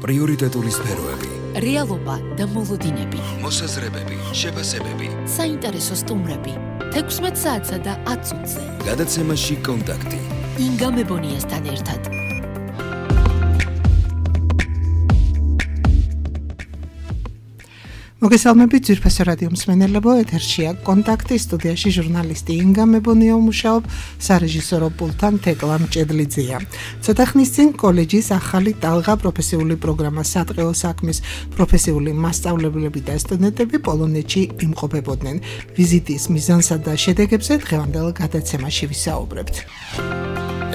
პრიორიტეტული სფეროები, რეალობა და მოლოდინები, მოსაზრებები, შეფასებები, საინტერესო სტუმრები, 16 საათსა და 10 წუთზე. გადაცემაში კონტაქტი. ინგა მებონიასთან ერთად. მოგესალმებით ძვირფასო რადიო მსმენელებო, ეთერშია კონტაქტი, სტუდიაში ჟურნალისტი ინგა მებონია მუშაობ, სარეჟისორო პულტთან თეკლა მჭედლიძეა. ცოტა ხნის წინ კოლეჯის ახალი ტალღა პროფესიული პროგრამა სატყეო საქმის პროფესიული მასწავლებლები და სტუდენტები პოლონეთში იმყოფებოდნენ. ვიზიტის მიზანსა და შედეგებზე დღევანდელ გადაცემაში ვისაუბრებთ.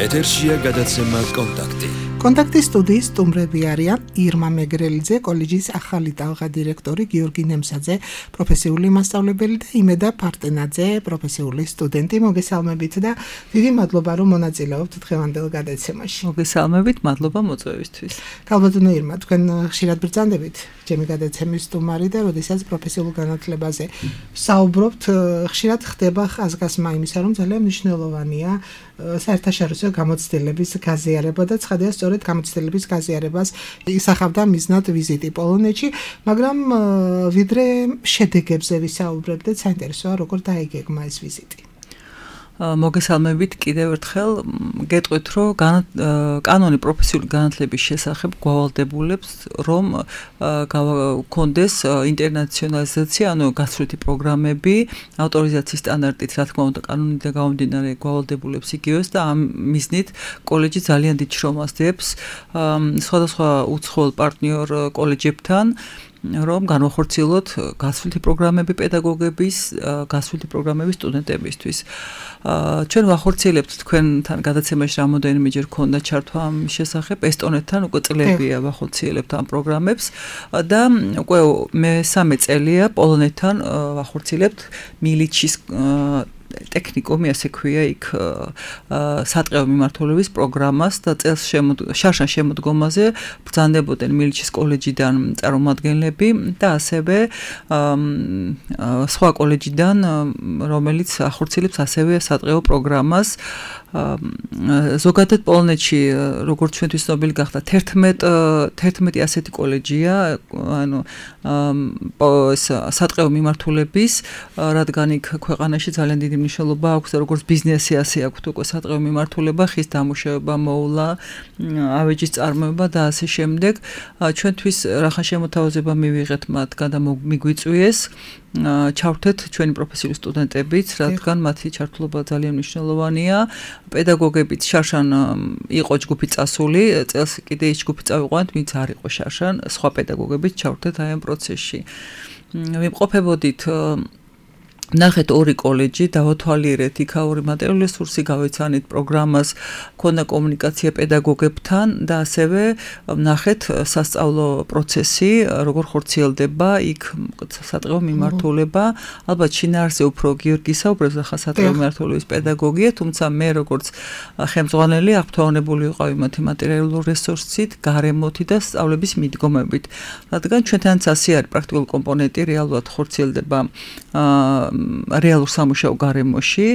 ეთერშია გადაცემა კონტაქტი. კონტაქტის სტუდიის სტუმრები არიან ირმა მეგრელიძე, კოლეჯის ახალი ტალღა დირექტორი, გიორგი ნემსაძე, პროფესიული მასწავლებელი და იმედა პარტენაძე, პროფესიული სტუდენტი. მოგესალმებით და დიდი მადლობა რომ მონაწილეობთ დღევანდელ გადაცემაში. მოგესალმებით, მადლობა მოწვევისთვის. ქალბატონო ირმა, თქვენ ხშირად ბრძანდებით ჩემი გადაცემის სტუმარი და როდესაც პროფესიულ განათლებაზე საუბრობთ, ხშირად ხდება ხაზგასმა იმისა, რომ ძალიან მნიშვნელოვანია საერთაშორისო გამოცდილების გაზიარება და ცხადია სწორედ გამოცდილების გაზიარებას ისახავდა მიზნად ვიზიტი პოლონეთში, მაგრამ ვიდრე შედეგებზე ვისაუბრებდეთ, საინტერესოა როგორ დაიგეგმა ეს ვიზიტი. მოგესალმებით კიდევ ერთხელ, გეტყვით რომ კანონი პროფესიული განათლების შესახებ გვავალდებულებს, რომ გქონდეს ინტერნაციონალიზაცია, ანუ გასვლითი პროგრამები, ავტორიზაციის სტანდარტით, რა თქმა უნდა, კანონიდან გამომდინარე გვავალდებულებს იგივეს და ამ მიზნით კოლეჯი ძალიან დიდ შრომას დებს სხვადასხვა უცხოელ პარტნიორ კოლეჯებთან, რომ განვახორციელოთ გასვლითი პროგრამები პედაგოგების, გასვლითი პროგრამები სტუდენტებისთვის. ჩვენ ვახორციელებთ თქვენთან გადაცემაში რამოდენიმეჯერ ქონდა ჩართვა ამ შესახებ, ესტონეთთან უკვე წლებია ვახორციელებთ ამ პროგრამებს და უკვე მესამე წელია პოლონეთთან ვახორციელებთ მილიჩის ტექნიკუმი, ასე ქვია, იქ სატყეო მიმართულების პროგრამას და წელს შარშან შემოდგომაზე ბრძანდებოდნენ მილიჩის კოლეჯიდან წარმომადგენლები და ასევე სხვა კოლეჯიდან, რომელიც ახორციელებს ასევე სატყეო პროგრამას. ზოგადად პოლონეთში, როგორც ჩვენთვის ცნობილი გახდა, 11 ასეთი კოლეჯია, ანუ სატყეო მიმართულების, რადგან იქ ქვეყანაში ძალიან დიდი მნიშვნელობა აქვს და როგორც ბიზნესი ასე აქვს უკვე სატყეო მიმართულება, ხის დამუშავება, მოულა, ავეჯის წარმოება და ასე შემდეგ. ჩვენთვის რახან შემოთავაზება მივიღეთ მათგან და მიგვიწვიეს ჩავთეთ ჩვენი პროფესიული სტუდენტებიც, რადგან მათი ჩართულობა ძალიან მნიშვნელოვანია. პედაგოგებიც შარშან იყო ჯგუფი წასული, წელს კიდე ის ჯგუფი წავიყვანეთ, ვინც არ იყო შარშან, სხვა პედაგოგებიც ჩავთეთ აი ამ პროცესში. ვიმყოფებოდით ნახეთ ორი კოლეჯი, დავათვალიერეთ იქაური მატერიალური რესურსი, გავეცანით პროგრამას, ქონდა კომუნიკაცია პედაგოგებთან და ასევე ნახეთ სასწავლო პროცესი, როგორ ხორციელდება იქ სატყეო მიმართულება. ალბათ შინაარსზე უფრო გიორგი საუბრობს, ახლა სატყეო მიმართულების პედაგოგია, თუმცა მე როგორც ხელმძღვანელი აღფრთოვანებული ვიყავი მათი მატერიალური რესურსით, გარემოთი და სწავლების მიდგომებით. რადგან ჩვენთანაც ასე არის პრაქტიკული კომპონენტი, რეალურად ხორციელდება რეალურ სამუშაო გარემოში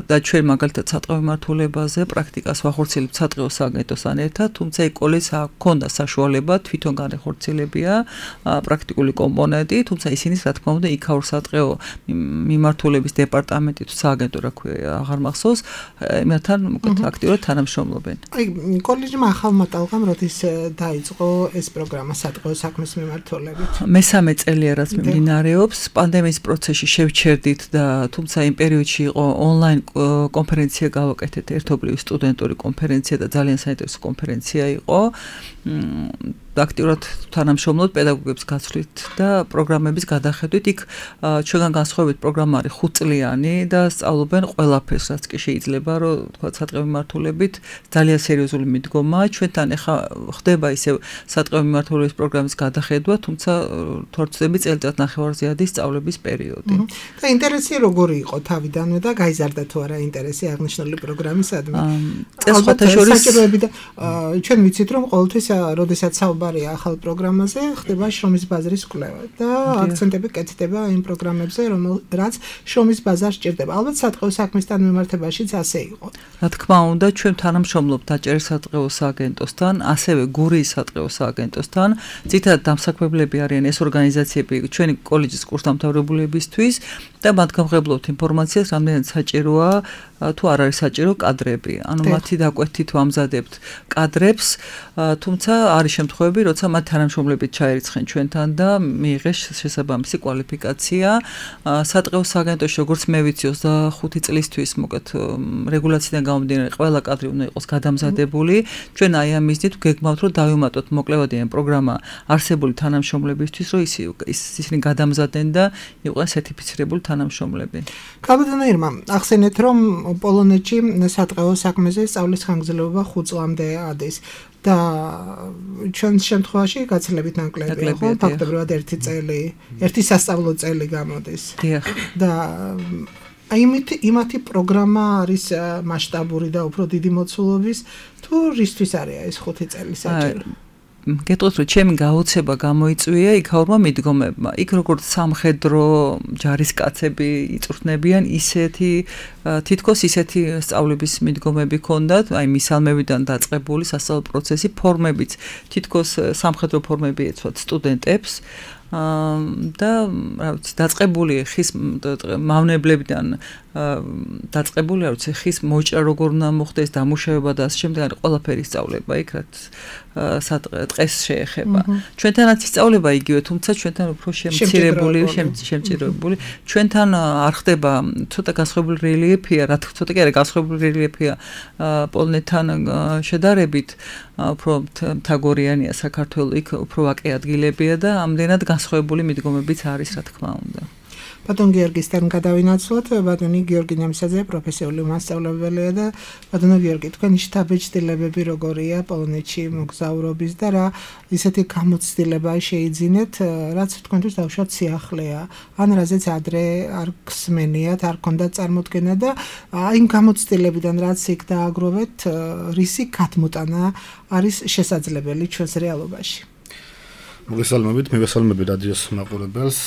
და ჩვენ მაგალითად სატყეო მიმართულებაზე პრაქტიკას ვახორციელებთ სატყეო სააგენტოსთან ერთად, თუმცა იქ კოლეჯს ჰქონდა საშუალება თვითონ განეხორციელებია პრაქტიკული კომპონენტი, თუმცა ისინი რა თქმა უნდა იქაურ სატყეო მიმართულების დეპარტამენტი თუ სააგენტო რა ქვია, აღარ მახსოვს, იმათთან უკეთ აქტიურად თანამშრომლობენ. აი კოლეჯმა ახალმა ტალღამ როდის დაიწყო ეს პროგრამა სატყეო საქმის მიმართულებით? მესამე წელია რაც მიმდინარეობს, პანდემიის პროცესში შევჩერდით და თუმცა იმ პერიოდში იყო ონლაინ კონფერენცია გავაკეთეთ, ერთობლივი სტუდენტური კონფერენცია და ძალიან საინტერესო კონფერენცია იყო. აქტიურად თანამშრომლობთ პედაგოგებს გაცვლით და პროგრამების გადახედვით. იქ ჩვენგან განსხვავებით პროგრამა არის 5 წლიანი და სწავლობენ ყველაფერს, რაც კი შეიძლება, რომ თქვა სატყეო მიმართულებით ძალიან სერიოზული მიდგომაა. ჩვენთან ახლა ხდება ისევ სატყეო მიმართულების პროგრამის გადახედვა, თუმცა თორცდები წელიწად ნახევარზეადი სწავლების პერიოდი. და ინტერესი როგორი იყო თავიდანვე და გაიზარდა თუ არა ინტერესი აღნიშნული პროგრამისადმი? წელს საჭიროები და ჩვენ ვიცით რომ ყოველთვის როდესაც საუბარი საუბარია ახალ პროგრამაზე, ხდება შრომის ბაზრის კვლევა და აქცენტები კეთდება იმ პროგრამებზე, რაც შრომის ბაზარს ჭირდება. ალბათ სატყეო საქმისთან მიმართებაშიც ასე იყო. რა თქმა უნდა, ჩვენ თანამშრომლობთ დაჭერის სატყეო სააგენტოსთან, ასევე გურიის სატყეო სააგენტოსთან. ძირითადად დამსაქმებლები არიან ეს ორგანიზაციები ჩვენი კოლეჯის კურსდამთავრებულებისთვის და მათ გამღებლობთ ინფორმაციას, რამდენად საჭიროა თუ არ არის საჭირო კადრები. ანუ მათი დაკვეთით ვამზადებთ კადრებს, თუმცა არის შემთხვევები, როცა მათ თანამშრომლებით ჩაერიცხენ ჩვენთან და მიიღეს შესაბამისი კვალიფიკაცია. სატყეო სააგენტოში, როგორც მე ვიცი, 25 წლისთვის მოკეთ რეგულაციიდან გამომდინარე, ყველა კადრი უნდა იყოს გადამზადებული. ჩვენ აი ამ მიზნით გეგმავთ, რომ დავიმატოთ მოკლევადიან პროგრამა არსებული თანამშრომლებისთვის, რომ ისინი გადამზადდნენ და იყვნენ სერტიფიცირებული თანამშრომლები. ქალბატონო ირმა, ახსენეთ, რომ პოლონეთში სატყეო საქმეზე სწავლის ხანგრძლივობა 5 წლამდე ადის და ჩვენ შემთხვევაში გაცილებით ნაკლებია, ხო? ფაქტობრივად 1 წელი, 1 სასწავლო წელი გამოდის. დიახ. და იმათი პროგრამა არის მასშტაბური და უფრო დიდი მოცულობის, თუ რისთვის არის ეს 5 წელი საჭირო? გეტყვით, რომ ჩემი გაოცება გამოიწვია იქაურმა მიდგომებმა. იქ როგორც სამხედრო ჯარისკაცები იწვრთნებიან, თითქოს ისეთი სწავლების მიდგომები ჰქონდათ, აი მისალმევიდან დაწყებული სასწავლო პროცესი, ფორმებიც თითქოს სამხედრო ფორმები ეცვათ სტუდენტებს. და რა ვიცი, დაწყებული ხის მავნებლებიდან დაწყებული, რა ვიცი, ხის მოჭრა როგორ უნდა მოხდეს, დამუშავება და ასე შემდეგ, არის ყველაფერი სწავლება იქ, რაც ტყეს შეეხება. ჩვენთანაც ისწავლება იგივე, თუმცა ჩვენთან უფრო შემჭირებული. ჩვენთან არ ხდება ცოტა განსხვავებული რელიეფია, რა თქმა უნდა, ცოტა კი არა განსხვავებული რელიეფია პოლონეთთან შედარებით, უფრო მთაგორიანია საქართველო, იქ უფრო ვაკე ადგილებია და ამდენად განსხვავებული მიდგომებიც არის, რა თქმა უნდა. ბატონ გიორგისთან გადავინაცვლოთ. ბატონი გიორგი ნემსაძე პროფესიული მასწავლებელია და ბატონო გიორგი, თქვენი შთაბეჭდილებები როგორია პოლონეთში მოგზაურობის და რა ისეთი გამოცდილება შეიძინეთ, რაც თქვენთვის დავუშვათ სიახლეა, ან რაზეც ადრე არ გსმენიათ, არ გქონდათ წარმოდგენა და იმ გამოცდილებიდან რაც იქ დააგროვეთ, რისი გადმოტანა არის შესაძლებელი ჩვენს რეალობაში? მოგესალმებით რადიოს მაყურებელს,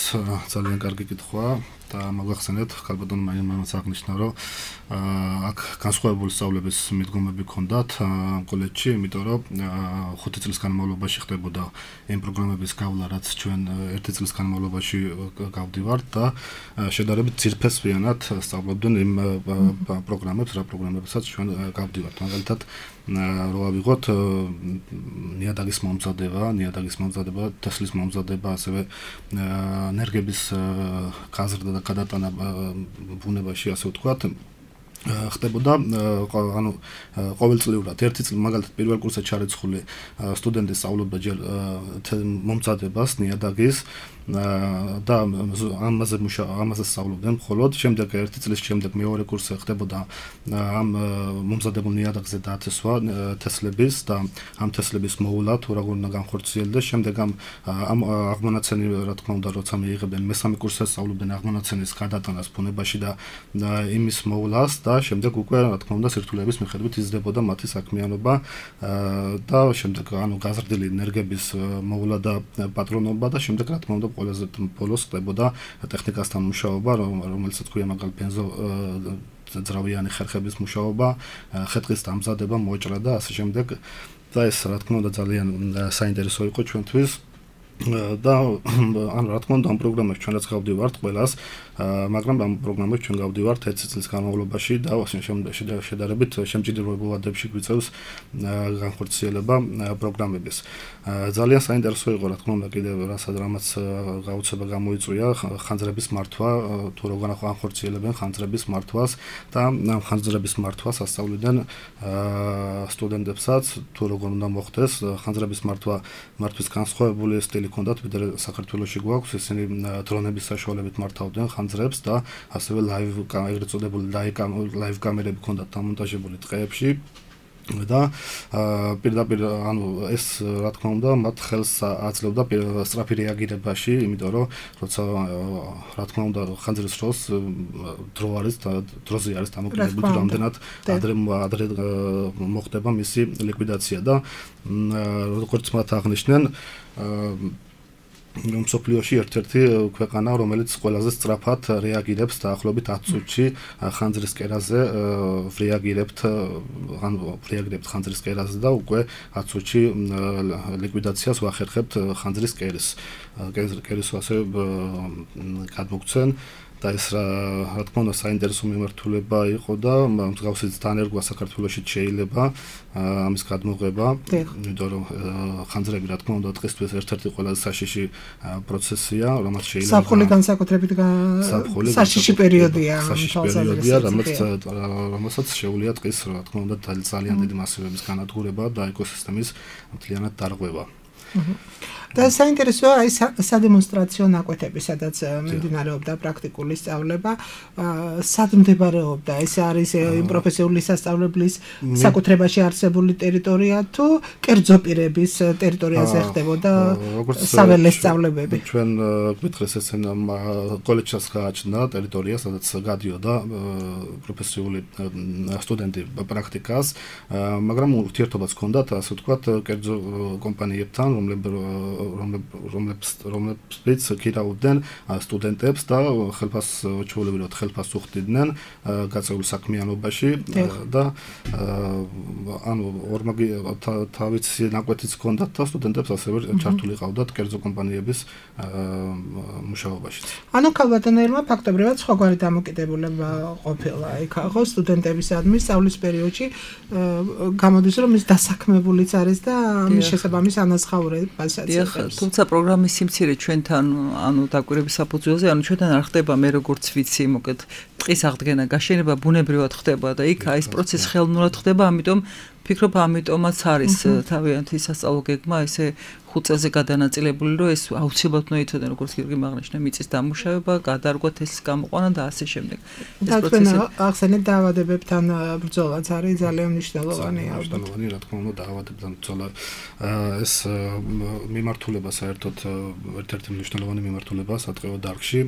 ძალიან კარგი კითხვაა და მოგახსენეთ, ქალბატონმა იმამაც აღნიშნა, რომ აქ განსხვავებული სწავლების მიდგომები ჰქონდათ კოლეჯში, იმიტომ რომ 5 წლის განმავლობაში ხდებოდა იმ პროგრამების გავლა, რაც ჩვენ 1 წლის განმავლობაში გავდივართ და შედარებით ძირფესვიანად სწავლობდნენ იმ პროგრამებს, რა პროგრამებსაც ჩვენ გავდივართ. მაგალითად, რო ავიღოთ ნიადაგის მომზადება, თესლის მომზადება, ასევე ენერგების გაზრდა და გადატანა ბუნებაში, ასე ვთქვათ, ხდებოდა, ანუ ყოველწლიურად 1 წელი, მაგალითად, პირველ კურსზე ჩარეცხული სტუდენტი სწავლობდა ჯერ მომზადებას, ნიადაგის და ამაზე სწავლობდნენ, ხოლო შემდეგ 1 წლის შემდეგ მეორე კურსზე ხდებოდა ამ მომზადებულ ნიადაგზე დათესვა თესლების და ამ თესლების მოულა თუ როგორ უნდა განხორციელდეს. შემდეგ ამ აღმონაცენი, რა თქმა უნდა, როცა მიიღებდნენ მესამე კურსზე სწავლობდნენ აღმონაცენის გადატანას ბუნებაში და იმის მოულას და შემდეგ უკვე, რა თქმა უნდა, სირთულეების მიხედვით იზრდებოდა მათი საქმიანობა და შემდეგ ანუ გაზრდილი ენერგების მოულა და პატრონობა და შემდეგ, რა თქმა უნდა, ყველაზე ბოლოს ხდებოდა ტექნიკასთან მუშაობა, რომელსაც ქვია მაგალითად ბენზო ძრავიანი ხერხების მუშაობა, ხე-ტყის დამზადება, მოჭრა და ასე შემდეგ. და ეს, რა თქმა უნდა, ძალიან საინტერესო იყო ჩვენთვის. და ანუ რა თქმა უნდა ამ პროგრამებში ჩვენ რაც გავდივართ ყველას, მაგრამ ამ პროგრამებში ჩვენ გავდივართ 1 წლის განმავლობაში და შედარებით შემჭირებულადებში გვიწევს განხორციელება პროგრამების. ძალიან საინტერესო იყო, რა თქმა უნდა, კიდევ რამაც გაუცება გამოიწვია ხანძრების მართვა, თუ როგორ განხორციელებენ ხანძრების მართვას და ამ ხანძრების მართვას ასწავლიდნენ სტუდენტებსაც, თუ როგორ უნდა მოხდეს ხანძრების მართვის განსხვავებული სტილი ჰქონდათ, ვიდრე საქართველოში გვაქვს, ისინი დრონების საშუალებით მართავდნენ ხანძრებს და ასევე ეგრეთ წოდებული ლაივ კამერები ჰქონდათ დამონტაჟებული ტყეებში და პირდაპირ ანუ ეს რა თქმა უნდა მათ ხელს აძლევდა სწრაფი რეაგირებაში, იმიტომ რომ როცა რა თქმა უნდა ხანძრის დროს დროზე არის დამოკიდებული რამდენად ადრე მოხდება მისი ლიკვიდაცია და როგორც მათ აღნიშნენ მსოფლიოში ერთ-ერთი ქვეყანა, რომელიც ყველაზე სწრაფად რეაგირებს დაახლოებით 10 წუთში ხანძრის კერაზე, რეაგირებთ ხანძრის კერაზე და უკვე 10 წუთში ლიკვიდაციას ვახერხებთ ხანძრის კერის ასე გადმოგცენ და ეს რა თქმა უნდა საინტერესო მიმართულება იყო და მსგავსი დანერგვა საქართველოში შეიძლება ამის გადმოღება, იმიტომ რომ ხანძრები რა თქმა უნდა დღესთვის ერთ-ერთი ყველაზე საშიში პროცესია, რომელიც შეიძლება საფხული განსაკუთრებით საშიში პერიოდია, რომელსაც შეუძლია დღეს რა თქმა უნდა ძალიან დიდი მასივების განადგურება და ეკოსისტემის მთლიანად დარღვევა. და საინტერესოა აი სადემონსტრაციო ნაკვეთები, სადაც მიმდინარეობდა პრაქტიკული სწავლება, სად მდებარეობდა? ეს არის პროფესიული სასწავლებლის საკუთრებაში არსებული ტერიტორია თუ კერძო პირების ტერიტორიაზე ხდებოდა საველე სწავლებები? ჩვენ გვითხრეს ესენ კოლეჯს გააჩნდა ტერიტორია, სადაც გადიოდა პროფესიული სტუდენტი პრაქტიკას, მაგრამ ურთიერთობაც ჰქონდათ, ასე ვთქვათ, კერძო კომპანიებთან, რომლებიც ქირავდნენ სტუდენტებს და ჩვეულებრივად ხელფასს უხდიდნენ გაწეული საქმიანობაში და ანუ ორმაგი თავისი ნაკვეთიც ჰქონდათ და სტუდენტებს ასევე ჩართული ყავდათ კერძო კომპანიების მუშაობაში. ანუ ქალბატონელმა ფაქტობრივად სხვაგვარი დამოკიდებულება ყოფილა იქ ხო სტუდენტებისადმი სწავლის პერიოდში გამოდის რომ ის დასაქმებულიც არის და მის შესაბამის ანაზღაურებასაც თუმცა პროგრამის სიმცირე ჩვენთან ანუ დაკვირვების საფუძველზე ანუ ჩვენთან არ ხდება მე როგორც ვიცი მოკეთ ტყის აღდგენა გაშენება ბუნებრივად ხდება და იქ ეს პროცესი ხელოვნურად ხდება ამიტომ ფიქრობ ამიტომაც არის თავიანთი სასწავლო გეგმა ესე 5 წელზე გადანაწილებული რომ ეს აუცილებლად უნდა იცოდე როგორც გიორგი აღნიშნა მიწის დამუშავება გადარგვა თესლის გამოყვანა და ასე შემდეგ ეს პროცესი ახსენეთ დაავადებებთან ბრძოლაც არის ძალიან მნიშვნელოვანი რა თქმა უნდა დაავადებებთან ბრძოლა ეს მიმართულება საერთოდ ერთ-ერთი მნიშვნელოვანი მიმართულებაა სატყეო დარგში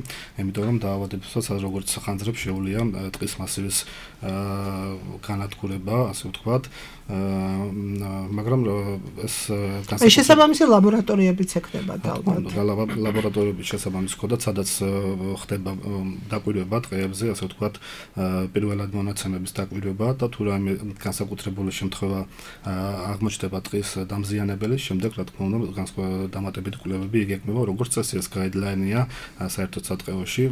იმიტომ რომ დაავადებებსაც როგორც ხანძრებს შეუძლია ტყის მასივის განადგურება ასე ვთქვათ მაგრამ ეს შესაბამისი ლაბორატორიებიც ექნება ალბათ. ლაბორატორიების შესაბამისი ხოდა, სადაც ხდება დაკვირვება ტყეებზე, ასე ვთქვათ, პირველად მონაცემების დაკვირვება და თუ რაიმე განსაკუთრებული შემთხვევა აღმოჩნდება ტყის დამზიანებელი, შემდეგ რა თქმა უნდა დამატებითი კვლევები იგეგმება, როგორც წესი ეს გაიდლაინია საერთოდ სატყეოში,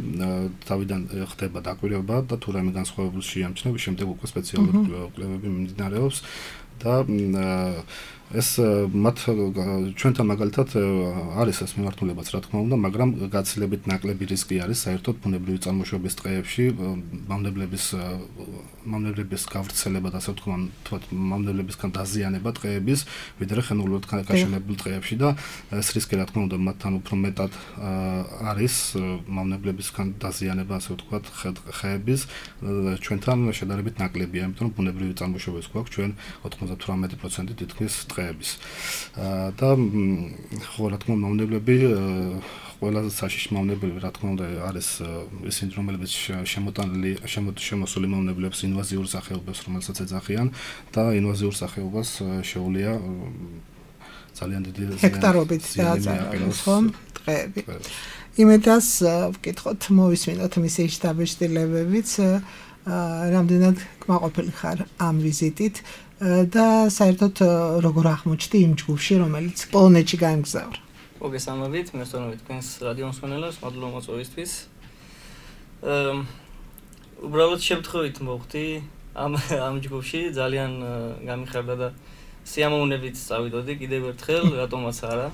თავიდან ხდება დაკვირვება და თუ რაიმე განსხვავებული შეამჩნევი, შემდეგ უკვე სპეციალური კვლევები მიმდინარეობს და ეს მათ ჩვენთან მაგალითად არის ეს მიმართულებაც რა თქმა უნდა, მაგრამ გაცილებით ნაკლები რისკი არის საერთოდ ბუნებრივი წარმოშობის ტყეებში მავნებლების გავრცელება და ასე ვთქვათ მავნებლებისგან დაზიანება ტყეების, ვიდრე ხენურულად გაშენებულ ტყეებში და ეს რისკი რა თქმა უნდა მათთან უფრო მეტად არის მავნებლებისგან დაზიანება ასე ვთქვათ ხეების ჩვენთან შედარებით ნაკლებია, იმიტომ რომ ბუნებრივი წარმოშობის გვაქვს ჩვენ 98% თითქმის ტყეების და ხო რა თქმა უნდა მავნებლები ყველაზე საშიში მავნებლები რა თქმა უნდა არის ისინი რომლებიც შემოსული მავნებლებს ინვაზიურ სახეობებს რომელსაც ეძახიან და ინვაზიურ სახეობას შეუძლია ძალიან დიდი ჰექტარობით დააწარმოოს ხომ ტყეები იმედას ვკითხოთ მოვისმინოთ მისი შტაბ-შტილებებიც რამდენად კმაყოფილი ხარ ამ ვიზიტით და საერთოდ როგორ აღმოჩნდი იმ ჯგუფში, რომელიც პოლონეთში გაემგზავრა. მოგესალმებით, მესწავლებით თქვენს რადიო მსმენელებს, მადლობა მოწვევისთვის. უბრალოდ შემთხვევით მოვხდი ამ ჯგუფში, ძალიან გამიხარდა და სიამოვნებით წავიდოდი კიდევ ერთხელ, რატომაც არა.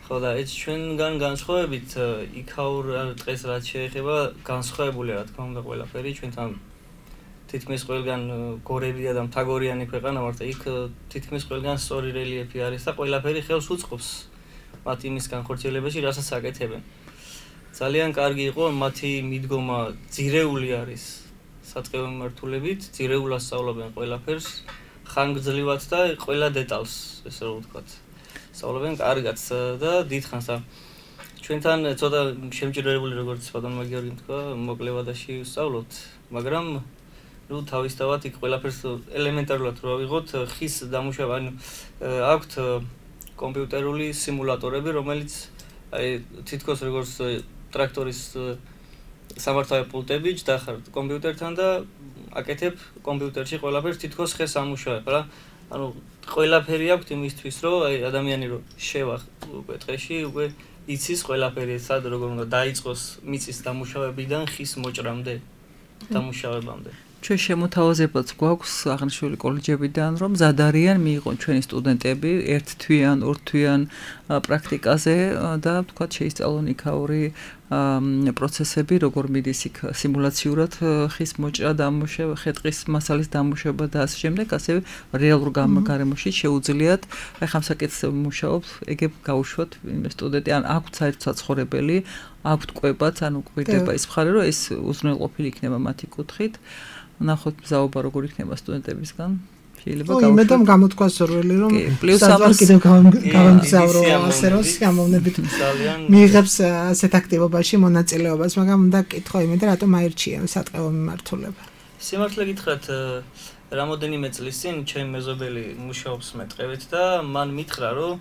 ხო და ეს ჩვენგან განსხვავებით იქაურ დღეს რაც შეეხება განსხვავებულია რა თქმა უნდა ყველაფერი ჩვენთან თითქმის ყველგან გორებია და მთაგორიანი ქვეყანა ვართ იქ თითქმის ყველგან სწორი რელიეფი არის და ყველაფერი ხელს უწყობს მათ იმის განხორციელებაში რასაც აკეთებენ. ძალიან კარგი იყო მათი მიდგომა ძირეული არის სატყეო მიმართულებით, ძირეულად სწავლობენ ყველაფერს, ხანგრძლივად და ყველა დეტალს, ესე რომ ვთქვათ. სწავლობენ კარგად და დიდხანს და ჩვენთან ცოტა შემჭირებული როგორც ბატონმა გიორგიმ თქვა, მოკლევადაში ვსწავლობთ, მაგრამ ნუ თავისთავად იქ ყველაფერს ელემენტარულად რო ავიღოთ, ხის დამუშავება, ანუ აქვთ კომპიუტერული სიმულატორები, რომელიც აი თითქოს როგორც ტრაქტორის სამართავი პულტები ჯდახარ კომპიუტერთან და აკეთებ კომპიუტერში ყველაფერს თითქოს ხეს ამუშავებ რა. ანუ ყველაფერი აქვს იმისთვის, რომ აი ადამიანი რო შევა უკვე დღეში, უკვე იცის ყველაფერი, სად როგორ უნდა დაიწყოს მიწის დამუშავებიდან ხის მოჭრამდე, დამუშავებამდე. ჩვენ შემოთავაზებაც გვაქვს აღნიშნული კოლეჯებიდან, რომ მზად არიან მიიღონ ჩვენი სტუდენტები ერთ თვიან, ორ თვიან პრაქტიკაზე და ვთქვათ შეისწავლონ იქაური პროცესები, როგორ მიდის იქ სიმულაციურად ხის მოჭრა, დამუშავება, ხე-ტყის მასალის დამუშავება და ასე შემდეგ, ასევე რეალურ გარემოში შეუძლიათ აი ხამ საკითხზე მუშაობთ, ეგებ გაუშვათ სტუდენტი, ან აქვთ საერთო საცხოვრებელი, აქვთ კვებაც, ანუ გვირდება ის მხარე, რომ ეს უზრუნველყოფილი იქნება მათი კუთხით. ნახოთ მზაობა როგორ იქნება სტუდენტებისგან. შეიძლება გავუშვათ. იმედამ გამოთქვა სურვილი რომ საერთოდ კიდევ გავამგზავრო ასე რომ გამოვნებით მიიღებს ასეთ აქტივობაში მონაწილეობას, მაგრამ უნდა კითხო იმედა რატომ აირჩია სატყეო მიმართულება. სიმართლე გითხრათ, რამოდენიმე წლის წინ ჩემი მეზობელი მუშაობს მეტყევით და მან მითხრა რომ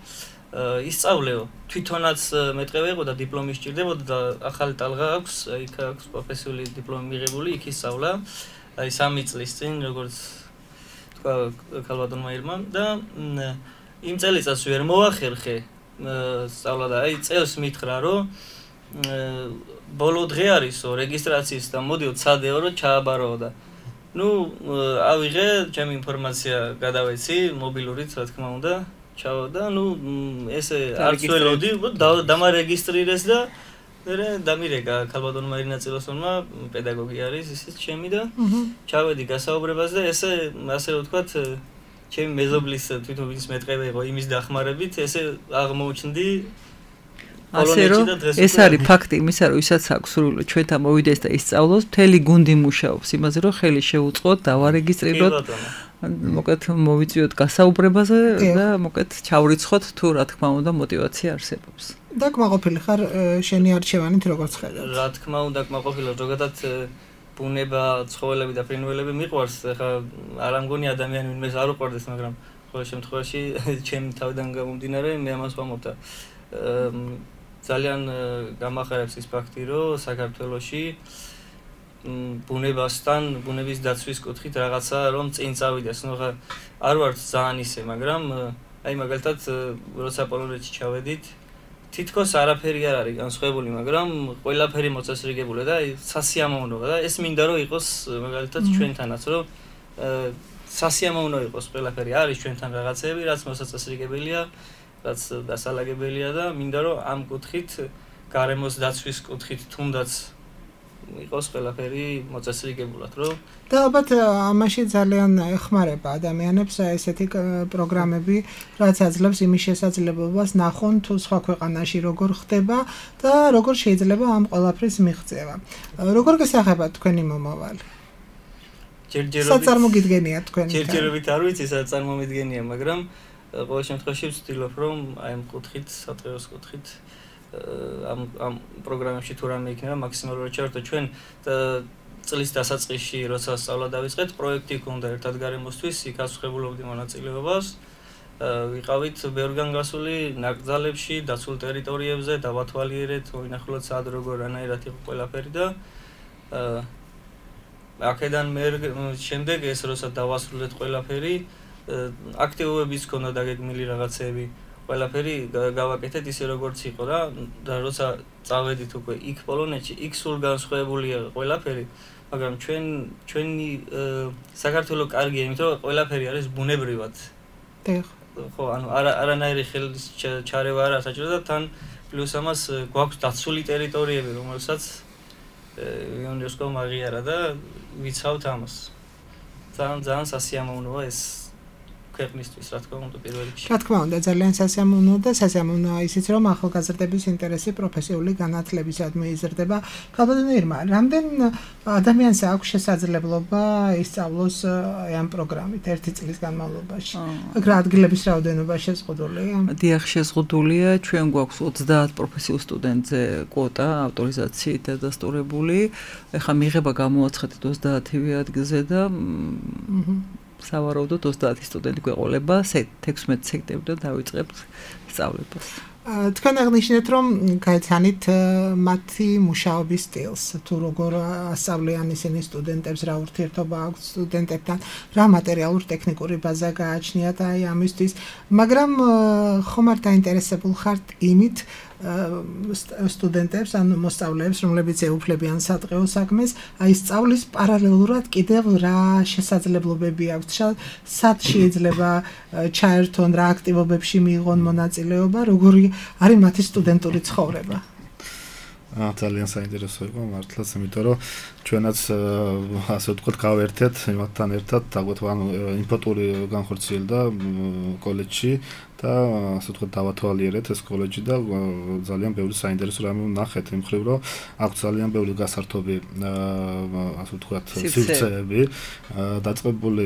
ისწავლეო, თვითონაც მეტყევე იყო და დიპლომი სჭირდებოდა და ახალი ტალღა აქვს, იქ აქვს პროფესიული დიპლომი მიღებული, იქ ისწავლა. აი 3 წლის წინ როგორც თქვა ქალბატონმა ირმა და იმ წელიწადს ვერ მოახერხე სწავლა და აი წელს მითხრა რომ ბოლო დღე არისო რეგისტრაციის და მოდიო ცადეო რომ ჩააბარო და ნუ ავიღე ჩემი ინფორმაცია გადავეცი მობილურით რა თქმა უნდა ჩავა და ნუ ესე არც ველოდი დამარეგისტრირეს და მე დამირეკა ქალბატონმა ირინა წილოსონმა პედაგოგი არის ისიც ჩემი და ჩავედი გასაუბრებას და ესე ასე რომ ვთქვათ ჩემი მეზობლის თვითონ ვინც მეტყევე იყო იმის დახმარებით ესე აღმოჩნდი ასე რომ ეს არის ფაქტი იმისა რომ ვისაც აქვს სურვილი ჩვენთან მოვიდეს და ისწავლოს მთელი გუნდი მუშაობს იმაზე რომ ხელი შეუწყოთ დავარეგისტრიროთ მოკეთ მოვიწვიოთ გასაუბრებაზე და მოკეთ ჩავრიცხოთ თუ რა თქმა უნდა мотиваცია არსებობს და კმაყოფილი ხარ შენი არჩევანით როგორც ხედავ რა თქმა უნდა კმაყოფილი ზოგადად ბუნება ცხოველები და ფრინველები მიყვარს ხა არ ამგონი ადამიანი ვინმეს არ უყვარდეს მაგრამ ყოველ შემთხვევაში ჩემი თავიდან გამომდინარე მე ამას ვამბობ და ძალიან გამახარებს ის ფაქტი რომ საქართველოში ბუნებასთან, ბუნების დაცვის კუთხით რაღაცა რომ წინ წავიდეს. ნუ ხა არ ვარ ძალიან ისე, მაგრამ აი მაგალითად როცა პოლონეთში ჩავედით, თითქოს არაფერი არ არის განსხვავებული, მაგრამ ყველაფერი მოწესრიგებულია და აი სასიამოვნოა და ეს მინდა რომ იყოს მაგალითად ჩვენთანაც, რომ სასიამოვნო იყოს ყველაფერი. არის ჩვენთან რაღაცები, რაც მოსაწესრიგებელია, რაც დასალაგებელია და მინდა რომ ამ კუთხით, გარემოს დაცვის კუთხით თუნდაც იყოს ყველაფერი მოწესრიგებულად, რომ და ალბათ ამაში ძალიან ეხმარება ადამიანებს ესეთი პროგრამები, რაც აძლევს იმის შესაძლებლობას ნახონ თუ სხვა ქვეყანაში როგორ ხდება და როგორ შეიძლება ამ ყველაფრის მიღწევა. როგორ გესახება თქვენი მომავალი? საწარმოგიდგენია თქვენი. ჯერჯერობით არ ვიცი საწარმომიდგენია, მაგრამ ყოველ შემთხვევაში ვცდილობ რომ აი ამ კუთხით, სატყეოს კუთხით ამ პროგრამებში თუ რამე იქნება მაქსიმალურად ჩავერთო ჩვენ წლის დასაწყისში როცა სწავლა დავიწყეთ პროექტი ჰქონდა ერთად გარემოსთვის იქ ასუხებულობდი მონაწილეობას ვიყავით ბევრგან გასული ნაკრძალებში დაცულ ტერიტორიებზე დავათვალიერეთ ვინახულოთ სად როგორ რანაირად იყო ყველაფერი და აქედან მე შემდეგ ეს როცა დავასრულეთ ყველაფერი აქტივობებიც ჰქონდა დაგეგმილი რაღაცები ყველაფერი გავაკეთეთ ისე როგორც იყო და როცა წავედით უკვე იქ პოლონეთში იქ სულ განსხვავებულია ყველაფერი მაგრამ ჩვენი საქართველო კარგია იმიტომ რომ ყველაფერი არის ბუნებრივად ხო ანუ არანაირი ხელის ჩარევა არ საჭირო და თან პლუს ამას გვაქვს დაცული ტერიტორიები რომელსაც იუნესკომ აღიარა და ვიცავთ ამას ძალიან სასიამოვნოა ეს ქვეყნისთვის, რა თქმა უნდა, პირველ რიგში. რა თქმა უნდა, ძალიან სასიამოვნო და სასიამოვნოა ისიც, რომ ახალგაზრდების ინტერესი პროფესიული განათლებისადმი იზრდება. ქალბატონო, რამდენ ადამიანს აქვს შესაძლებლობა ისწავლოს ამ პროგრამით ერთი წლის განმავლობაში? აქ რა ადგილების რაოდენობა შეზღუდულია? დიახ, შეზღუდულია. ჩვენ გვაქვს 30 პროფესიულ სტუდენტზე კვოტა ავტორიზაციით დადასტურებული. ეხლა მიღება გამოაცხადეთ 30-ვე ადგილზე და სავარაუდოდ 30 სტუდენტი გვეყოლება 16 სექტემბრიდან დავიწყებთ სწავლებას. თქვენ აღნიშნეთ, რომ გაიცანით მათი მუშაობის სტილს, თუ როგორ ასწავლიან ისინი სტუდენტებს, რა ურთიერთობა აქვს სტუდენტებთან, რა მატერიალურ-ტექნიკური ბაზა გააჩნიათ აი ამისთვის, მაგრამ ხომ არ დაინტერესებულ ხართ იმით სტუდენტებს, ანუ მოსწავლეებს, რომლებიც ეუფლებიან სადღეო საქმეს, აი სწავლის პარალელურად კიდევ რა შესაძლებლობები აქვს, სად შეიძლება ჩაერთონ, რა აქტივობებში მიიღონ მონაწილეობა, როგორი არის მათი სტუდენტური ცხოვრება? ძალიან საინტერესო იყო მართლაც, იმიტომ რომ ჩვენაც ასე ვთქვათ გავერთეთ იმათთან ერთად, დაგვეთვალა ინფოტური განხორციელდა კოლეჯში და ასე ვთქვათ დავათვალიერეთ ეს კოლეჯი და ძალიან ბევრი საინტერესო რამე ვნახეთ იმ მხრივ, რომ აქვს ძალიან ბევრი გასართობი ასე ვთქვათ სივრცეები, დაწყებული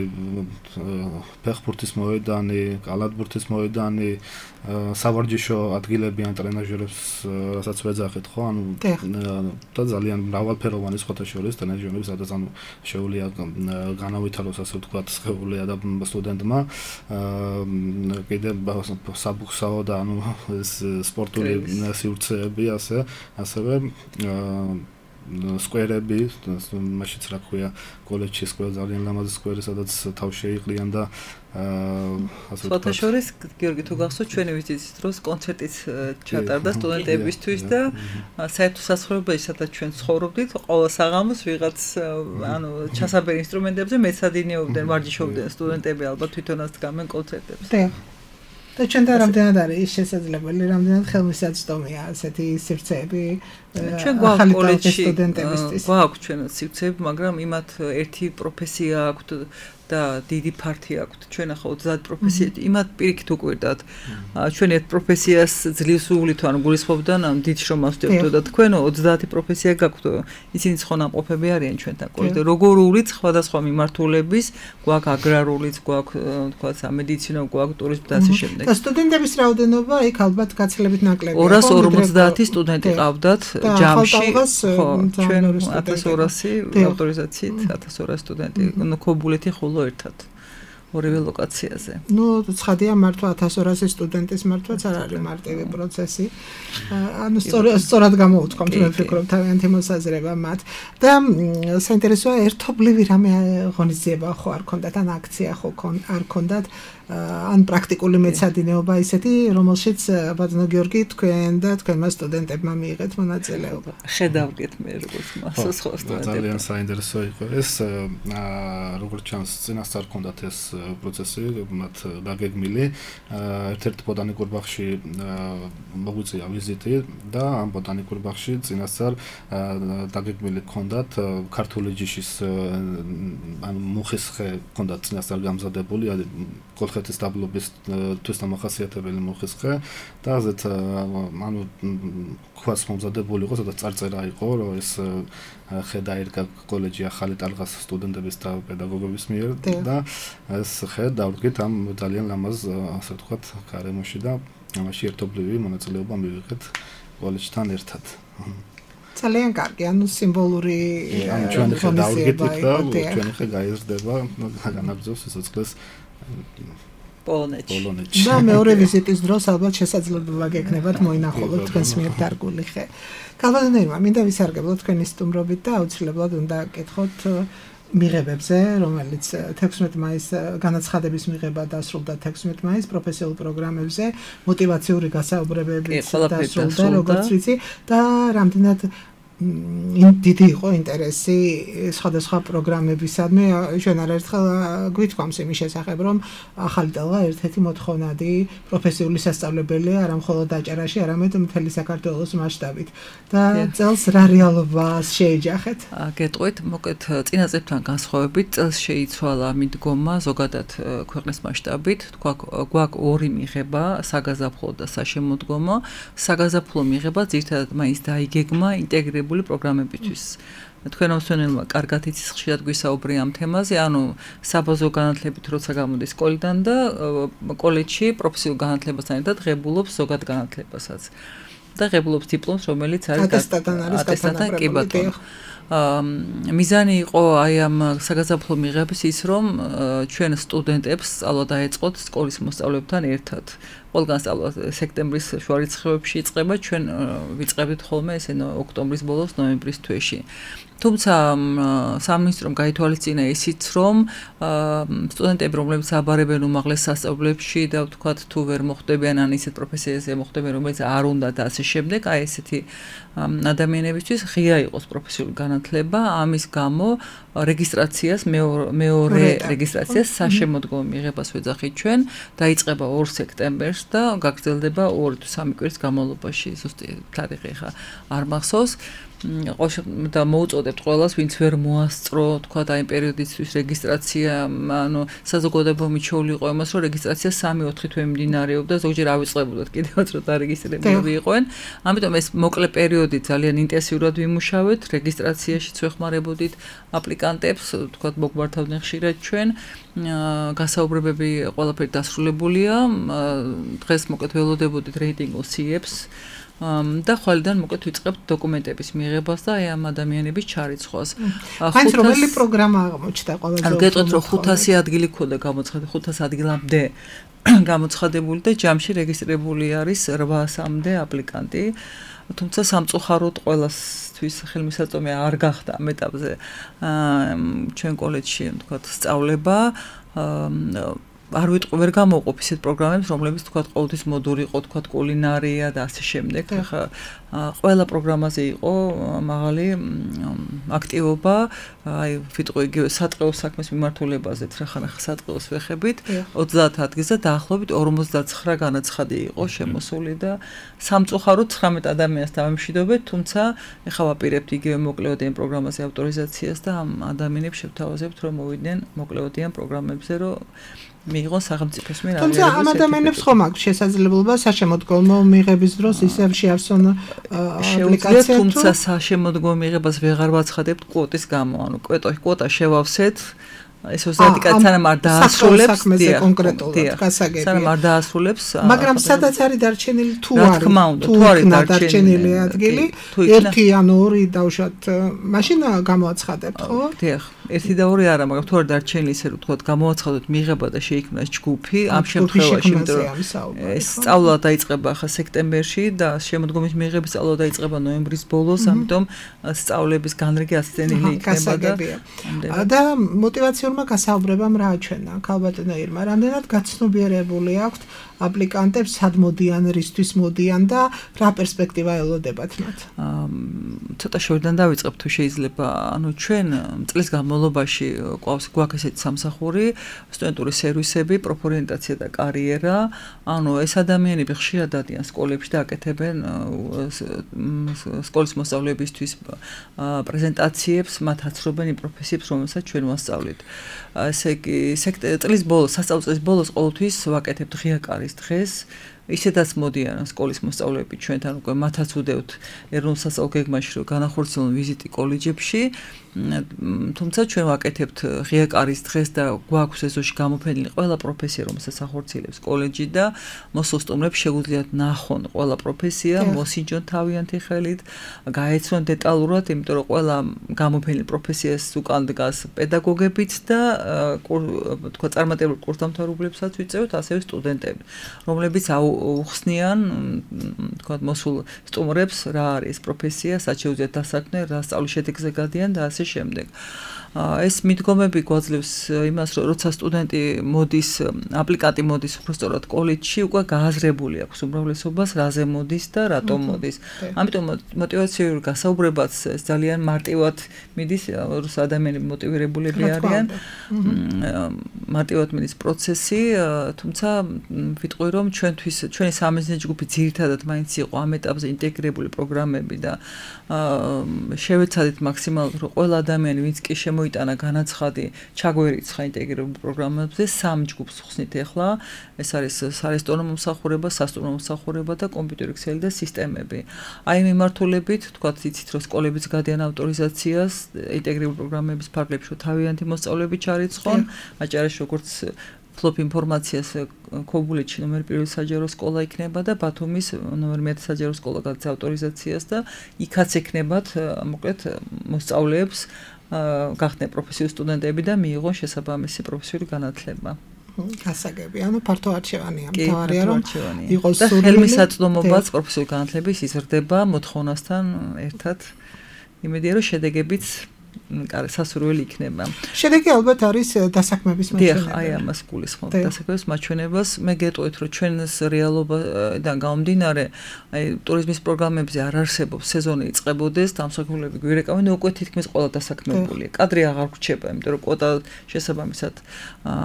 ფეხბურთის მოედანი, კალათბურთის მოედანი, სავარჯიშო ადგილები ან ტრენაჟერებს რასაც ვეძახეთ, ხო, ანუ და ძალიან მრავალფეროვანი სხვათა შორის ტრენაჟერები, სადაც ანუ შეუძლია განავითაროს ასე ვთქვათ სხეულია და სტუდენტმა კიდევ საბუქსაო და ანუ ეს სპორტული სივრცეები ასევე სკვერები, მაშინაც რა ქვია, კოლეჯში სკვერი ძალიან ლამაზი სკვერი, სადაც თავს შეიყრიან და ასე ვთქვათ. სხვათა შორის, გიორგი, თუ გახსოვთ, ჩვენი ვიზიტის დროს კონცერტიც ჩატარდა სტუდენტებისთვის და საერთო სასწავლებელში, სადაც ჩვენ ცხოვრობდით, ყოველ საღამოს ვიღაც ანუ ჩასაბერ ინსტრუმენტებზე მეცადინეობდნენ, ვარჯიშობდნენ სტუდენტები, ალბათ თვითონაც დგამენ კონცერტებს. და ჩვენთან რამდენად არის შესაძლებელი, რამდენად ხელმისაწვდომია ასეთი სივრცეები ჩვენ გვაქვს კოლეჯში გვაქვს ჩვენაც სივრცეები, მაგრამ იმათ ერთი პროფესია აქვთ და დიდი ფართი აქვთ. ჩვენ ახლა 30 პროფესიით იმათ პირიქით უკვირდათ. ჩვენ ერთ პროფესიას ძლივს უვლით, ანუ გულისხმობდან ამ დიდ შრომას ვდებდო და თქვენ 30 პროფესია გაქვთ. ისინი ცხონამყოფები არიან ჩვენთან კოლეჯში. როგორ უვლით სხვადასხვა მიმართულების, გვაქვს აგრარულიც, გვაქვს თქვა სამედიცინო, გვაქვს ტურიზმი და ასე შემდეგ. და სტუდენტების რაოდენობა იქ ალბათ გაცილებით ნაკლებია. 250 სტუდენტი ყავდათ ჯამში. ხო, ჩვენ 1200 ავტორიზაციით 1200 სტუდენტი. ქობულეთი ხოლო ერთად ორივე ლოკაციაზე. ნუ ცხადია მართლა 1200 სტუდენტის მართლაც არ არის მარტივი პროცესი. ანუ სწორად გამოუთხომ თუ ვფიქრობ თავიანთი მოსაზრება მათ. და საინტერესოა ერთობლივი რამე ღონისძიება ხო არ ქონდათ, ან აქცია ხო არ ქონდათ, ან პრაქტიკული მეცადინეობა ისეთი, რომელშიც ბატონო გიორგი თქვენ და თქვენმა სტუდენტებმა მიიღეთ მონაწილეობა. ხედავდით მე როგორც მასოს ხო სტუდენტები. ძალიან საინტერესო იყო ეს, როგორც ჩანს, წინასწარ ქონდათ ეს პროცესი, მათ დაგეგმილი. ერთ-ერთ ბოტანიკურ ბაღში მოგვიწია ვიზიტი და ამ ბოტანიკურ ბაღში წინასწარ დაგეგმილი ქონდათ ქართული ჯიშის ანუ მუხის ხე ქონდათ წინასწარ გამზადებული, კოლხეთის დაბლობის თვისდამახასიათებელი მუხის ხე და ასეთ ანუ ქვაც მომზადებული იყო, სადაც წარწერა იყო, რომ ეს ხე დაერგა კოლეჯი ახალი ტალღას სტუდენტების და პედაგოგების მიერ და ეს ხე დავდგეთ ამ ძალიან ლამაზ ასე ვთქვათ გარემოში და ამაში ერთობლივი მონაწილეობა მივიღეთ კოლეჯთან ერთად. ძალიან კარგი, ანუ სიმბოლური ანუ ჩვენი ხე დავდგეთ და ჩვენი ხე გაიზრდება, განაგრძობს სიცოცხლეს პოლონეთში. და მეორე ვიზიტის დროს ალბათ შესაძლებლობა გექნებათ მოინახულოთ თქვენს მიერ დარგული ხე. ქალბატონო, მინდა ვისარგებლოთ თქვენი სტუმრობით და აუცილებლად უნდა გკითხოთ მიღებებზე, რომელიც 16 მაისს განაცხადების მიღება დასრულდა 16 მაისს პროფესიულ პროგრამებზე, მოტივაციური გასაუბრებებიც დასრულდა, როგორც ვიცი, და რამდენად დიდი იყო ინტერესი სხვადასხვა პროგრამებისადმი. ჩვენ არაერთხელ გვითქვამს იმის შესახებ, რომ ახალი ტელღა ერთ-ერთი მოთხოვნადი პროფესიული სასწავლებელია არა მხოლოდ დაჭერაში, არამედ მთელი საქართველოს მასშტაბით. და წელს რა რეალობას შეეჯახეთ? გეტყვით, მოკლედ წინა წლებთან განსხვავებით, წელს შეიცვალა მიდგომა ზოგადად ქვეყნის მასშტაბით. გვაქვს ორი მიღება, საგაზაფხულო და საშემოდგომო. საგაზაფხულო მიღება ძირითადად მაინც დაიგეგმა ინტეგრირებული პროგრამებისთვის. თქვენ მოსვენელმა კარგად იცის, ხშირად გვისაუბრე ამ თემაზე, ანუ საბაზრო განათლებით როცა გამოდის სკოლიდან და კოლეჯში პროფესიულ განათლებასთან ერთად ღებულობს ზოგად განათლებასაც. და ღებულობს დიპლომს, რომელიც არის ატესტატთან კი ბატონო. მიზანი იყო აი ამ საგაზაფხულო მიღების ის, რომ ჩვენ სტუდენტებს სწავლა დაეწყოთ სკოლის მოსწავლეებთან ერთად. ყველგან სწავლა სექტემბრის შუა რიცხვებში იწყება, ჩვენ ვიწყებთ ხოლმე ესე ოქტომბრის ბოლოს, ნოემბრის თვეში. თუმცა სამინისტრომ გაითვალისწინა ისიც, რომ სტუდენტები, რომლებიც აბარებენ უმაღლეს სასწავლებლებში და ვთქვათ, თუ ვერ მოხვდებიან ან ისეთ პროფესიაზე მოხვდებიან, რომელიც არ უნდათ და ასე შემდეგ, აი ესეთი ადამიანებისთვის ღია იყოს პროფესიული განათლება, ამის გამო რეგისტრაციას მეორე რეგისტრაციას საშემოდგომო მიღებას ვეძახით ჩვენ, დაიწყება 2 სექტემბერს და გაგრძელდება 2 თუ 3 კვირის განმავლობაში, ზუსტი თარიღი ხა არ მახსოვს. და მოუწოდებთ ყველას, ვინც ვერ მოასწრო, თქვა და იმ პერიოდისთვის რეგისტრაცია, ანუ საზოგადოება მიჩეული იყო იმას, რომ რეგისტრაცია 3-4 თვე მიმდინარეობდა, ზოგჯერ ავიწყებოდათ კიდევაც რომ დარეგისტრირებულები იყვნენ. ამიტომ ეს მოკლე პერიოდი ძალიან ინტენსიურად ვიმუშავეთ, რეგისტრაციაშიც ვეხმარებოდით აპლიკანტებს, თქვა მოგმართავდნენ ხშირად ჩვენ. გასაუბრებები ყველაფერი დასრულებულია. დღეს მოკლედ ველოდებოდით რეიტინგულ CEPs და ხვალიდან მოკლედ ვიწყებთ დოკუმენტების მიღებას და აი ამ ადამიანების ჩარიცხვას. მაინც რომელი პროგრამა აღმოჩნდა ყველაზე უფრო? გეტყვით, რომ 500 ადგილი ქონდა გამოცხადებული, 500 ადგილამდე გამოცხადებული და ჯამში რეგისტრირებული არის 800-მდე აპლიკანტი. თუმცა სამწუხაროდ ყველასთვის ხელმისაწვდომი არ გახდა ამ ეტაპზე ჩვენ კოლეჯში, თქვათ, სწავლება. არ ვიტყვი, ვერ გამოვყოფ ისეთ პროგრამებს, რომლებიც თქვათ ყოველთვის მოდური იყო, თქვათ კულინარია და ასე შემდეგ. ხა ყველა პროგრამაზე იყო მაღალი აქტივობა, აი ვიტყვი იგივე სატყეო საქმის მიმართულებაზე, ხახან სატყეოს ვეხებით, 30 ადგილზე დაახლოებით 59 განაცხადი იყო შემოსული და სამწუხაროდ 19 ადამიანს დავემშვიდობეთ, თუმცა ეხლა ვაპირებთ იგივე მოკლეოდიან პროგრამაზე ავტორიზაციას და ამ ადამიანებს შევთავაზებთ, რომ მოვიდნენ მოკლეოდიან პროგრამებზე, რომ მიიღოს სახელმწიფოს მიერ აღიარებულ თუმცა ამ ადამიანებს ხომ აქვს შესაძლებლობა საშემოდგომო მიღების დროს ისევ შეავსონ აპლიკაცია, თუმცა საშემოდგომო მიღებას ვეღარ ვაცხადებთ კვოტის გამო, ანუ კვოტა შევავსეთ, ეს 30 კაცი სანამ არ დაასრულებს, კონკრეტულად გასაგებია. სანამ არ დაასრულებს, მაგრამ სადაც არის დარჩენილი თუ არის დარჩენილი ადგილი, 1 ან 2 დავუშვათ, მაშინ გამოაცხადებთ, ხო? დიახ. 1 და 2 არა, მაგრამ თუ არ დარჩენილი ისე რომ თქვათ გამოაცხადოთ მიღება და შეიქმნას ჯგუფი, ამ შემთხვევაში, იმიტომ რომ ეს სწავლა დაიწყება ახლა სექტემბერში და შემოდგომის მიღების სწავლა დაიწყება ნოემბრის ბოლოს, ამიტომ სწავლების განრიგი ასწენილი იქნება და мотиваციურმა გასაუბრებამ რა აჩვენა ქალბატონო ირმა, რამდენად გაცნობიერებული აქვთ აპლიკანტებს, სად მოდიან, რისთვის მოდიან და რა პერსპექტივა ელოდებათ მათ? ცოტა შორიდან დავიწყებ თუ შეიძლება, ანუ ჩვენ წლის განმავლობაში გვაქვს ესეთი სამსახური, სტუდენტური სერვისები, პროფორიენტაცია და კარიერა, ანუ ეს ადამიანები ხშირად დადიან სკოლებში და აკეთებენ სკოლის მოსწავლეებისთვის პრეზენტაციებს, მათ აცრობენ იმ პროფესიებს, რომელსაც ჩვენ ვასწავლით. ესე იგი, წლის ბოლოს, სასწავლო წლის ბოლოს ყოველთვის ვაკეთებთ ღია კარის დღეს. ისედაც მოდიან სკოლის მოსწავლეები ჩვენთან უკვე მათაც უდევთ ეროვნულ სასწავლო გეგმაში რომ განახორციელონ ვიზიტი კოლეჯებში, თუმცა ჩვენ ვაკეთებთ ღია კარის დღეს და გვაქვს ეზოში გამოფენილი ყველა პროფესია, რომელსაც ახორციელებს კოლეჯი და მოსულ სტუმრებს შეუძლიათ ნახონ ყველა პროფესია, მოსინჯონ თავიანთი ხელით, გაეცნონ დეტალურად, იმიტომ რომ ყველა გამოფენილი პროფესიას უკან დგას პედაგოგებიც და თქვა წარმატებულ კურსდამთავრებლებსაც ვიწევთ, ასევე სტუდენტები, რომლებიც უხსნიან თქვა მოსულ სტუმრებს რა არის პროფესია, სად შეუძლიათ დასაქმე, რა სწავლის შედეგზე გადიან და ასე შემდეგ. ეს მიდგომები გვაძლევს იმას, რომ როცა სტუდენტი მოდის, აპლიკანტი მოდის უბრალოდ კოლეჯში, უკვე გააზრებული აქვს უმრავლესობას რაზე მოდის და რატომ მოდის. ამიტომ мотиваციურ გასაუბრებაც ძალიან მარტივად მიდის, როცა ადამიანები მოტივირებულები არიან. მარტივად მიდის პროცესი, თუმცა ვიტყვი რომ ჩვენი სამიზნე ჯგუფი ძირითადად მაინც იყო ამ ეტაპზე ინტეგრირებული პროგრამები და შევეცადეთ მაქსიმალურად რომ ყველა ადამიანი ვინც კი მოიტანა განაცხადი ჩაგვერიცხა ინტეგრირებულ პროგრამებზე სამ ჯგუფს ხსნით ახლა ეს არის სარესტორნო მომსახურება, სასტუმრო მომსახურება და კომპიუტერი ქსელი და სისტემები. აი მიმართულებით თქვათ იცით რომ სკოლებიც გადიან ავტორიზაციას ინტეგრირებულ პროგრამების ფარგლებში რომ თავიანთი მოსწავლეები ჩარიცხონ, აჭარაში როგორც ფლოპ ინფორმაციას ქობულეთში ნომერ 1 საჯარო სკოლა იქნება და ბათუმის ნომერ 1 საჯარო სკოლა გადის ავტორიზაციას და იქაც ექნებათ მოკლედ მოსწავლეებს გახდნენ პროფესიული სტუდენტები და მიიღონ შესაბამისი პროფესიული განათლება. გასაგები, ანუ ფართო არჩევანია, მთავარია რომ იყოს და ხელმისაწვდომობაც პროფესიული განათლების იზრდება მოთხოვნასთან ერთად. იმედია რომ შედეგებიც სასურველი იქნება. შედეგი ალბათ არის დასაქმების მაჩვენებელი. აი ამას გულისხმობ დასაქმების მაჩვენებას. მე გეტყვით რომ ჩვენს რეალობიდან გამომდინარე, აი ტურიზმის პროგრამებზე არ არსებობს სეზონი იწყებოდეს, დამსახურებები გვირეკავენ, უკვე თითქმის ყველა დასაქმებულია. კადრი აღარ გვრჩება, იმიტომ რომ კვოტა შესაბამისად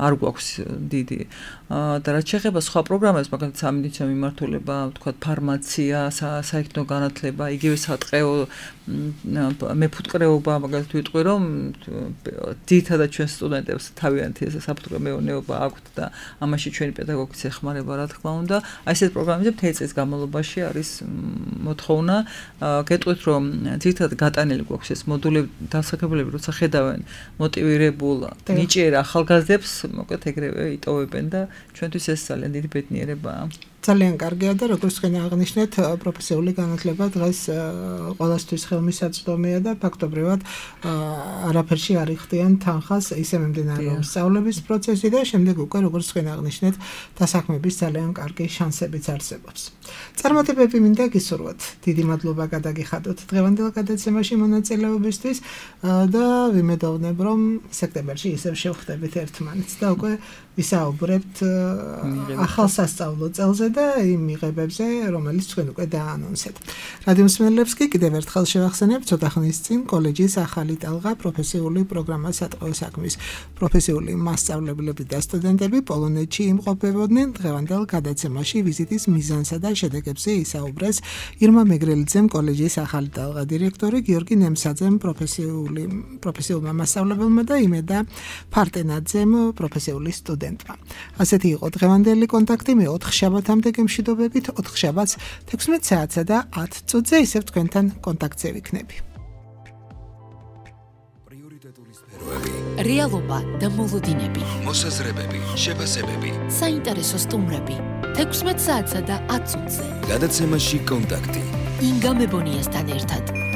არ გვაქვს დიდი. და რაც შეეხება სხვა პროგრამებს, მაგალითად სამედიცინო მიმართულება, ვთქვათ ფარმაცია, საექნო განათლება, იგივე სატყეო მეფუტკრეობა, მაგალითად ვიტყვი რომ ძირითადად ჩვენ სტუდენტებს თავიანთი საფუტკრო მეურნეობა აქვთ და ამაში ჩვენი პედაგოგიც ეხმარება რა თქმა უნდა. აი ესეთ პროგრამებზე მთელი წლის განმავლობაში არის მოთხოვნა. გეტყვით რომ ძირითადად გატანილი გვაქვს ეს მოდულები, დასაქმებულები როცა ხედავენ მოტივირებულ ნიჭიერ ახალგაზრდებს, მოკლედ ეგრევე იტოვებენ და ჩვენთვის ეს ძალიან დიდი ბედნიერებაა. ძალიან კარგია და როგორც თქვენ აღნიშნეთ, პროფესიული განათლება დღეს ყველასთვის ხელმისაწვდომია და ფაქტობრივად არაფერში არ იხდიან თანხას, ისე მიმდინარეობს სწავლების პროცესი და შემდეგ უკვე როგორც თქვენ აღნიშნეთ, დასაქმების ძალიან კარგი შანსებიც არსებობს. წარმატებები მინდა გისურვოთ. დიდი მადლობა გადაგიხადოთ დღევანდელ გადაცემაში მონაწილეობისთვის და ვიმედოვნებ რომ სექტემბერში ისევ შევხვდებით ერთმანეთს და უკვე ვისაუბრებთ ახალ სასწავლო წელზე და იმ მიღებებზე, რომელიც თქვენ უკვე დაანონსეთ. რადიო მსმენელებს კი კიდევ ერთხელ შევახსენებ, ცოტა ხნის წინ კოლეჯის ახალი ტალღა პროფესიული პროგრამა სატყეო საქმის პროფესიული მასწავლებლები და სტუდენტები პოლონეთში იმყოფებოდნენ. დღევანდელ გადაცემაში ვიზიტის მიზანსა და შედეგებზე ისაუბრეს ირმა მეგრელიძემ, კოლეჯის ახალი ტალღა დირექტორი, გიორგი ნემსაძემ, პროფესიულმა მასწავლებელმა და იმედა ფარტენაძემ, პროფესიული სტუდენტმა. ასეთი იყო დღევანდელი კონტაქტი. მე 4 შაბათამდე გემშვიდობებით, 4 შაბათს 16 საათსა და 10 წუთზე ისევ თქვენთან კონტაქტზე ვიქნები. პრიორიტეტული სფეროები, რეალობა და მოლოდინები, მოსაზრებები, შეფასებები, საინტერესო სტუმრები 16 საათსა და 10 წუთზე. გადაცემაში კონტაქტი. ინგა მებონიასთან ერთად.